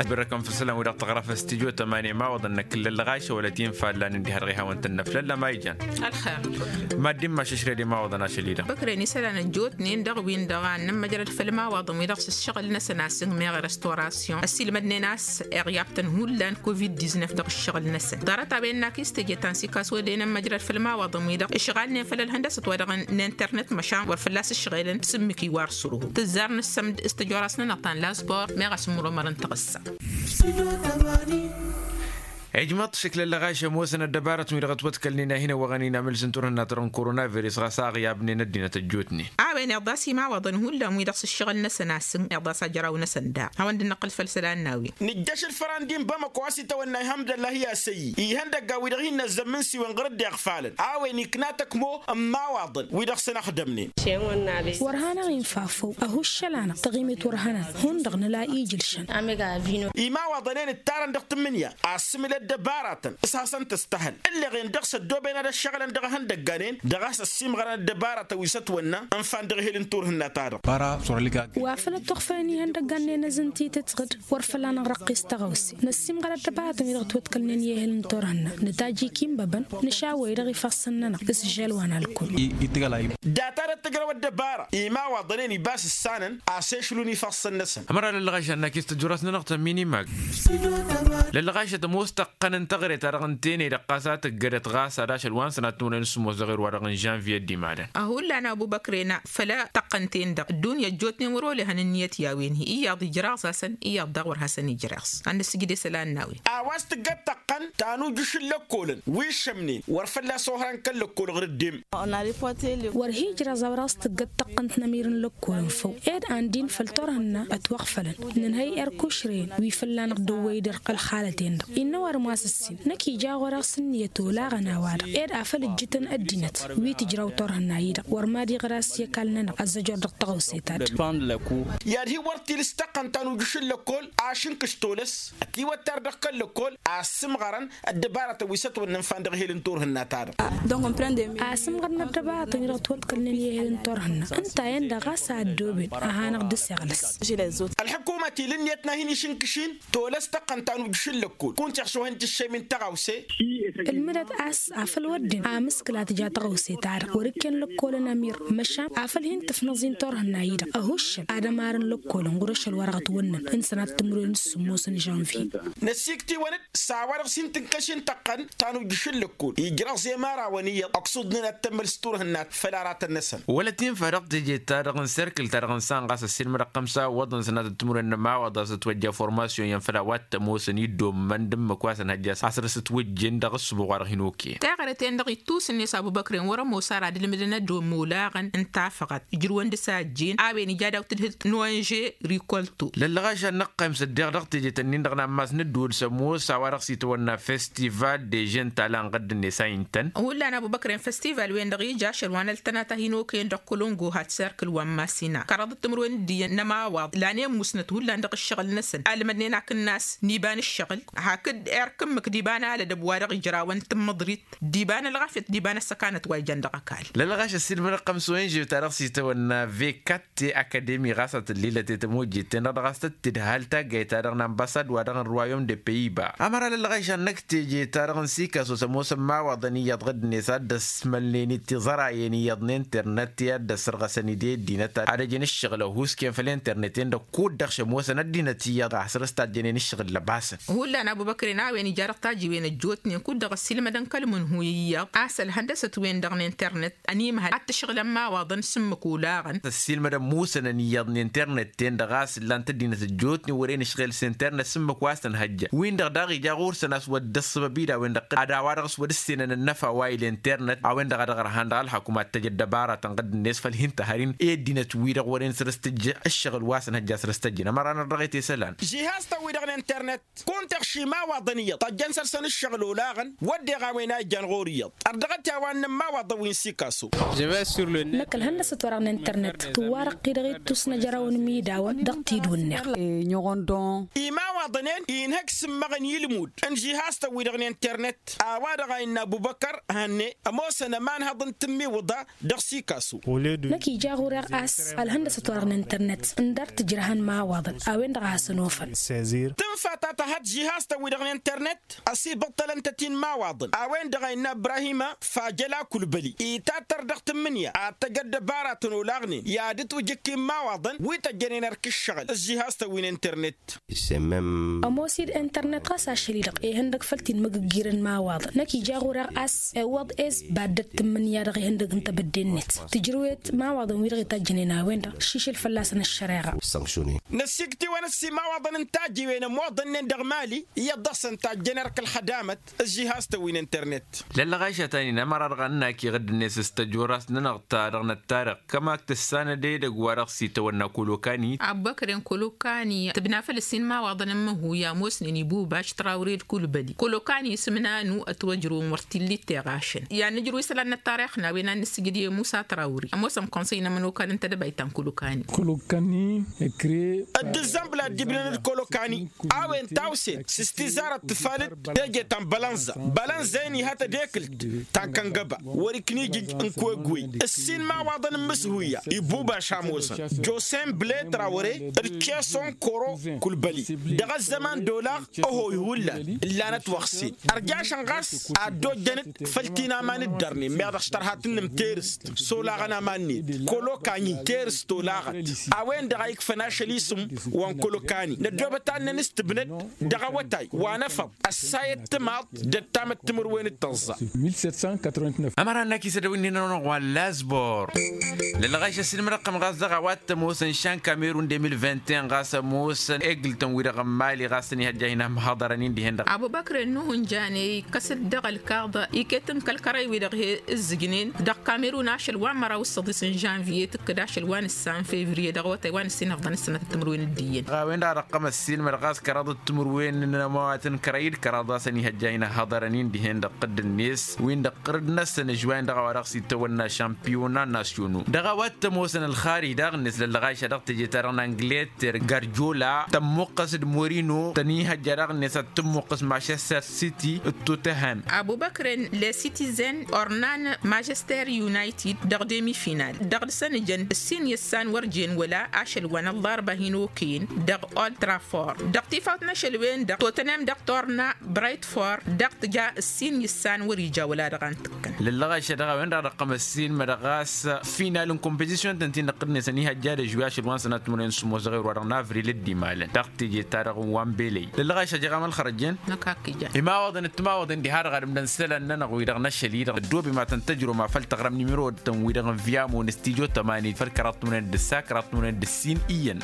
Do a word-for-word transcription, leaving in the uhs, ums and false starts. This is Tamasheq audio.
Ăsbărrăkăn făll-isălan wi-dăɣ tăɣra făll-studyo tămani imawaḍăn n-akǝllăl lăɣašăwălăt infa ăllan ǝndihăr ɣihawăn-tăn n-aflăl lămayjan. Ălxer. Mad-dd-imma šăšred imawaḍăn ašăl-i-dăɣ. Băkren isălan ăjjootnen dăɣ-win-dăɣ a ănnămmăjrăd făll-imawaḍăn wi-dăɣ s-ǝššăɣǝl-năsăn a-s ǝngmeɣ i-restauration ăssiilmădnen a-s iɣyabtăn hullan covid-diznăf dăɣ-ǝššăɣǝl-năsăn ḍarăt-a-wen n-akis teje ta n-sikas wădden ămmăjrăd făll-imawaḍăn wi-dăɣ ǝšɣalnen făll-ălhăndăsăt wa dăɣ-n internet măšan wăr fălla-s ǝšɣelăn s-ǝmmǝk iwar s-ărhu tǝzzar nǝssămd s-tăjoras-nănăɣ ta n-lasbor meɣ asǝmmăromăr n-taɣǝssa. Ijmăḍ šǝklăn lăɣašăm wosăn ăddăbarătăn wi-dăɣ ătwăḍkălnen a hin-ăwwăɣăn-in amǝls n-turhǝnna-ta-dăɣ n-koronavirus ɣas a ăɣyabnen ăddinăt ăjjootnen. A-wen iḍas imawaḍăn hullan wi-dăɣ s-ǝššăɣǝl-năsăn a-s ǝnɣ iḍas ajăraw-năsăn daɣ hawăn-dd-năqqǝl făll-isălan n-a-wen. Nǝjjăš ǝlfăran d-inbamăko a-s itawănna ihămdăllah i-asăyy ihăndăggan wi-dăɣ hin-năzzămmǝn s-iwăn ɣur-dd iɣfalăn a-wen ikna tăkmo n-imawaḍăn wi-dăɣ săn ăxdămnen. Wăr hanăɣ-infa făw ăhuššăl-anăɣ taɣimet wăr hănăn hundăɣ nǝla ijǝlšăn. Imawaḍăn-en ǝttarăn dăɣ-tǝmmǝnǝya asǝmǝl ăddăbaratăn s-hasăn-tăstăhăl ǝlleɣ-en dăɣ-s ăddooben ad-ăššăɣǝlăn dăɣ-ehăndăggan-en dăɣ-a-s ăssiimɣărăn ăddăbaratăn wi s-ătwănna ǝnfan dăɣ-ehel n-turhǝnna-ta-dăɣ. Wa făl ătwăɣfăyăn ihăndăggan-en ăzǝntităt ɣǝd wăr făl-anăɣ răqqis tăɣawse năssiimɣăr ăddăbaratăn wi-dăɣ ătwăḍkălnen i-ehel n-turhǝnna nǝtajj ikimbaban nǝšawăy dăɣ-ifassăn-nănăɣ s-žăl wa n-alkul. Data-dăɣ tǝjrăw ăddăbara imawaḍăn-en ibas ǝssanăn a-s ešlun ifassăn-năsăn. Ămăra lăllăɣašan n-akis tăjjurass-nănăɣ tămminimag lăllăɣašăt ămoos tăqqăn n-taɣre-ta-dăɣ n-tene-dăɣ ɣas a tǝggădăt ɣas ad-ašăl wa n-sănat timǝrwen s-sǝmmos dăɣ-erwa-dăɣ n-žănviye d-imalăn. Hullan abu băkre n-a făll-tăqqăn-ten-dăɣ ăddunya ăjjootnen wăr-olehăn ǝnniyăt i-a-wen-hi iyyăḍ ijraɣ-s-asăn iyyăḍ daɣ wăr hasăn-ijreɣ-s. Annăsǝjdesăl a n-a-wen. A-wa s-tǝggăt tăqqăn ta n-ujǝš n-lăkkolăn wi šămnen wăr fălla-s ohărăn kăl-lăkkol ɣur-dd-em. Wăr hi-ijraẓ a-wa dăɣ-s tǝggăt tăqqăn-t n-emir n-lăkkolăn făw ed an dd-infăl turhǝnna ătwăɣfălăn nǝnhăy erkušren wi fălla-năɣ dăwwăy-dd ărq ălxalăten-dăɣ innă ăwadǝm wa s-ǝssin năkk ija ɣur-e-dăɣ s-ǝnniyăt olaɣăn a-wa-dăɣ ed afăl ǝjjǝtăn ăddinăt wi tǝjraw turhǝnna-i-dăɣ wăr mad-iɣra s-i-ăkall-nănăɣ ăzzăjor dăɣ-tăɣawse-ta-dăɣ. I-ad-hi-wăr tilǝs tăqqăn ta n-ujǝš n-lăkkol ašǝnkǝš tolăs ătiwăttar dăɣ-kăl-lăkkol a ăssǝmɣărăn ăddăbarătăn wi s-ătwănnăn fan dăɣ-ehel n-turhǝnna-ta-dăɣ. Asǝmɣărăn ăddăbarătăn wi-dăɣ ătwăḍkălnen i-ehel n-turhǝnna ǝnta-en-dăɣ ɣas a ăddooben a hanăɣ-dd-iseɣlăs. Ălḥǝkumăt ila ǝnniyăt n-ad-hin-išǝnkǝš tolăs tăqqăn ta n-ujǝš n-lăkkol kunta iɣšohen tǝššem-in tăɣawse. Ǝlmǝdăt a-s afăl wădden amǝskǝl a tǝja tăɣawse-ta-dăɣ wăr-ǝkken lăkkolăn ămir măšan afăl hin-tǝfnăẓ-in turhǝnna-i-dăɣ ăhuššăn ad-ămarăn lăkkolăn ɣur-ašăl wa dăɣ-ătwănnăn n-sănat timǝrwen s-sǝmmos n-žănvye. Năsiktǝwăn-dd s-a-wa dăɣ-s hin-tǝnkăšin tăqqăn ta n-ujǝš n-lăkkol ijraẓ i-ămarawăn iyyăḍ ăksuḍnen ad-tămmăl s-turhǝnna făll-aratăn-năsăn. Wăla t-infa dăɣ-teje-ta-dăɣ n-serkǝl-ta-dăɣ n-sanɣas ăssiilmădăɣ xămsa iwwăḍăn sănatăt timǝrwen n-ămawaḍ a-s ătwăjja formasyon i-ănfăl a-wa t-ămoosăn iddommăn d-ǝmmǝk wa s-ănhăjja a-s dăr-s ătwăjjen dăɣ-ǝssǝbuɣ wa dăɣ-hin-oke. Taɣrăt-en-dăɣ ittusǝnne s-abubăkren wăr-ămoos ara ad-ǝlmǝdăn ad-dd-ommolaɣăn n-tafăɣăt ǝjrǝwăn d-sajjen a-wen ija daw-tǝdhǝlt n-onže rikolto. Lăllăɣašan n-ăqqayǝm s-ăddeɣ dăɣ-teje-tăn-in-dăɣ n-ammas n-ǝddǝwǝl s-ămoos a-wa dăɣ-s itwănna festival de žen tala n-ɣǝdd-net a intăn. Hullan abubăkren festival-wen-dăɣ ija ašăl wa n-ăltănat a hin-okăyăn dăɣ-kălongo had serkǝl wa n-masina kăraḍăt timǝrwen d-iyyăn n-ămawaḍ lanen musnăt hullan dăɣ-ǝššăɣǝl-năsăn almădnen akǝnnas n-iba n-ǝššăɣǝl hakd erk ǝmmǝk d-iba n-alădăb wa dăɣ-ijrawăn tǝmmǝḍrit d-iba n-ălɣafyăt d-iba n-ăssăkanăt wa ijăn dăɣ-ăkall. Lălɣaš ăssiilmădăɣ-tăn s-onže-ta-dăɣ s-itawănna vekat te akademi ɣas a tǝllilăt i-tămojjet-ten-dăɣ dăɣ-a-s tăt-tǝdhal taggayt-ta-dăɣ n-ambasad-wa-dăɣ n-ruwayom de peyiba. Ămăra lălɣaš a n-năkk teje-ta-dăɣ n-sikaso s-ămoos ămmawaḍăn iyyăḍ ɣǝddǝnet ad-dd-ăsmălnen-dd tiẓărayen iyyăḍ n-internet i-ad-dd-ăssărɣăsăn-dd i-ăddinăt ad-ăjăn ǝššăɣǝl ăhuusken făll-internet-en-dăɣ kud-dăɣ šămoosăn ăddinăt iyyăḍ a has-dăr-s tajjănen ǝššăɣǝl lăbasăn. Hullan abubăkren a-wen ija dăɣ-tajiwen ăjjootnen kud-dăɣ ăssiilmădăn kăl-mǝnhu iyyăḍ a-s ălhăndăsăt-wen-dăɣ n-internet ănimhăl ad-t-ǝšɣǝl ămmawaḍăn s-ǝmmǝk olaɣăn. Ăssiilmădăn musănăn iyyăḍ n-internet-ten-dăɣ a-s ǝllan-t ăddinăt ăjjootnen wăren ǝšɣel s-internet s-ǝmmǝk wa s-tănhăjja win-dăɣ daɣ ija ɣur-săn a-s wădden ăssăbăb-i d-a-wen-dăɣ ad-a-wa-dăɣ s-wăr-ǝssenăn ănnăfa wa ila internet a-wen-dăɣ a dăɣ-ărhan dăɣ-ălxăkum ad-t-ăj ăddăbara tănɣăd-net făll-hin-tăhăr-in i-ăddinăt-wi-dăɣ wăren săr-s tǝjj ǝššăɣǝl wa s-ănhăjja săr-s tăjjăn ămăra n-ărdăɣet i-isălan. Žihaz-tăn wi-dăɣ n-internet kunta iɣš imawaḍăn iyyăḍ tăjjăn săr-săn ǝššăɣǝl olaɣăn wădden a-wen a ijjan ɣur-iyyăḍ. Ărdăɣăt i-a-wa n-inămmawaḍăn wi n-sikaso. Năkk ălhăndăsăt wa-dăɣ n-internet tǝwwa răqqi dăɣ-ittus n-ejăraw n-imidawăn dăɣ-tidwǝnneɣ. Imawaḍăn Imawaḍăn-en inhăk s-ǝmmăɣăn i-ǝlmud n-žihastăn-wi-dăɣ n-internet a-wa-dăɣ a innă abubăkăr hănne ămoosăn ămanhăḍ n-tǝmmiwǝḍa. Dăɣ-sikasu. Năkk ija ɣur-e a-s ălhăndăsăt-wa-dăɣ n-internet ǝndar tǝjrăhăn imawaḍăn a-wen-dăɣ a hasăn-ofăn. Tǝnfa ta tăhăt žihastăn-wi-dăɣ n-internet ăsibăṭṭălăn-tăt-in imawaḍăn a-wen-dăɣ a innă ibrahima fajăl akulbăli itattăr dăɣ-tǝmmǝnǝya ad-tăj ăddăbaratăn olaɣnen i-ad-ǝtwǝjǝk imawaḍăn wi tăjjănen erk ǝššăɣǝl ăžžihastăn wi n-internet. Ămoos-dd internet ɣas ašăl-i-dăɣ ihăndăg făll-ti n-imǝgǝggirăn imawaḍăn năkk ija ɣur-e a-s iwwăḍ ezba dd-tǝmmǝnǝya dăɣ-ihăndăg n-tebădde-net tǝjrǝwet imawaḍăn-wi-dăɣ itajjănen a-wen-dăɣ šišǝl fălla-săn ăššăreɣa. Năssiktǝwăn ăssimawaḍăn n-tajiwen ămoḍănnen dăɣ-mali iyyăḍ dăɣ-săn tajjăn erk ălxădamăt ăžžihastăn wi n-internet. Lăllăɣayša ta n-inămăra dăɣ-annăk iɣǝdd-net s-tăjorrast-nănăɣ ta dăɣ-năttarăɣ kămak tǝssanăd edăgg wa dăɣ-s itawănna kolokani. Abubăkren kolokani tǝbna făll-ǝssin imawaḍăn n-măhuy a ămoosnen ibubaš trawre d-kulbăli kolokani isǝm nanu ătwăjrăwăn wăr t-illa itteɣašăn i-ad-nǝjrǝw isălan n-ăttarix n-a-wen ad-nǝssǝjǝd i-musa trawre ămoosăn konsăy n-ămănokal n-tedăbayt ta n-kolokani. Ăddǝzzănbǝl a dd-ibnăn d-kolokani a-wen tawset s-tizarăt tǝfalăt teje ta n-bălănza. Bălănza-en ihătăd ekǝlt ta n-kăngăba wăr-iknijǝj n-kwegwey ǝssin imawaḍăn n-imǝshuyya ibubaš a ămoosăn josen bǝle trawăre d-keson koro. Kulbăli dăɣ-ăzzăman d-olaɣ ăhoy hullan ǝllanăt wăɣsen ărjašăn ɣas ad-dd-ojjăn-dd făll-ti n-aman ǝddărnen meɣ dăɣ-s tărha tǝnnǝm terǝst s-olaɣăn aman-net kolokanyi terǝst olaɣăt. A-wen-dăɣ a ikfăn ašăl isǝm wa n-kolokani năddoobăt ad-năn-s tǝbnăd dăɣ-awătay wa n-efăḍ ăssayăt timaḍt d-ăttamăt timǝrwen d-tăẓẓa. Ămăra n-akisăd a-wen-dd-inănăɣ wa n-lazbor. Lălɣayš ăssinmădăɣ-tăm ɣas dăɣ-a-wa t-ămoosăn šan kamerun de mil vingt et un ɣas ămoosăn eglǝtăn-wi-dăɣ n-mali ɣas tăn-ihăjja hin-amhăḍărăn-in dihen-dăɣ. Abubăkre n-nuhǝnjan e-ikkăs-dd dăɣ-ălkaḍ iket n-kăl-kărăy-wi-dăɣ he-ǝzzǝjnen dăɣ-kamerun ašăl wa n-măraw s-săḍis n-žanviye tǝkkǝd ašăl wa n-ǝssan fevriye dăɣ-awătay wa n-ǝssin ăfḍăn s-sănatăt timǝrwen d-iyyăn. Ɣawen-dăɣ a dăɣ-tăm ăssiinmădăɣ ɣas kăraḍăt timǝrwen n-ămawat n-kărăy d-kăraḍ a-s ăniihăjja hin-ăhhăḍărăn-in dihen-dăɣ tǝdd-net win-dăɣ tǝrǝd-năsăn ǝžwayăn dăɣ-a-wa dăɣ-s itawănna šampiyona nasyonu dăɣ-a-wa t-ămoosăn ălxarij daɣ-net lăllăɣayša dăɣ-teje-ta-dăɣ n-angleter garjola tămmuqqăs d-morino tăn-ihăjja daɣ-net ad-tǝmmuqqăs mašester siti d-toteham. Abubăkren le citizen ornan mašester unitid dăɣ-demi final dăɣ-dăɣ-săn ǝjăn ǝssin i-ǝssan wăr jen wăla ašăl wa n-ălḍarba hin-okăyăn dăɣ-oltraford dăɣ-tifawt n-ašăl-wen-dăɣ totănem dăɣ-torna braytford dăɣ-tǝja ǝssin i-ǝssan wăr ija wăla dăɣ-antǝkkăn. Lăllăɣayša dăɣ-a-wen-dăɣ a dăɣ-tăm ăssiinmădăɣ ɣas final n-kompăzisyon-tăn-ti-dăɣ tǝnnesăn ihăjja d-ažwi ašăl wa n-sănat timǝrwen s-sămoos dăɣ-ewro wa dăɣ-navril d-imalăn dăɣ-teje-ta-dăɣ n-wa n-belăy. Lăllăɣayša jeɣ amălxărăjjen. Imawaḍăn d-timawaḍen diha-dăɣ ad-ǝmdăn isălan-nănăɣ wi-dăɣ n-ašăl-i-dăɣ ăddoobem ad-tăn-tăjrǝwăm afăl taɣrăm nimiro-tăn wi-dăɣ n-vyamo n-studyo tămani făll-kăraḍ timǝrwen d-ǝssa kăraḍ timǝrwen d-ǝssin iyyăn.